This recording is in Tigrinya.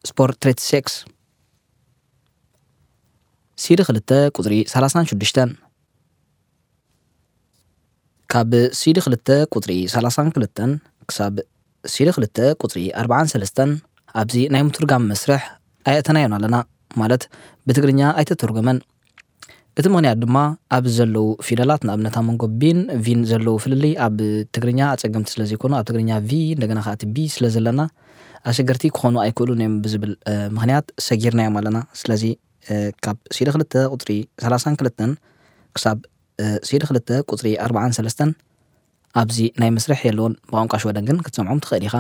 ስፖርት ትሬት ሴክስ። ሲዲ ክልተ ቁፅሪ ሰላሳን ሽዱሽተን። ካብ ሲዲ ክልተ ቁፅሪ ሰላሳን ክልተን ክሳብ ሲዲ ክልተ ቁፅሪ ኣርባዓን ሰለስተን ኣብዚ ናይ ምትርጋም መስርሕ ኣየእተናዮን ኣለና፣ ማለት ብትግርኛ ኣይተተርጎመን። እቲ ምኽንያት ድማ ኣብ ዘለዉ ፊደላት፣ ንኣብነት ኣብ መንጎ ቢን ቪን ዘለዉ ፍልልይ ኣብ ትግርኛ ኣፀገምቲ ስለ ዘይኮኑ፣ ኣብ ትግርኛ ቪ እንደገና ከዓ እቲ ቢ ስለ ዘለና ኣሸገርቲ ክኾኑ ኣይክእሉን እዮም ብዝብል ምኽንያት ሰጊርናዮም ኣለና። ስለዚ ካብ ሲዲ ክልተ ቁፅሪ ሰላሳን ክልተን ክሳብ ሲዲ ክልተ ቁፅሪ ኣርባዓን ሰለስተን ኣብዚ ናይ መስርሕ የለውን። ብቋንቋ ሽወደን ግን ክትሰምዖም ትኽእል ኢኻ።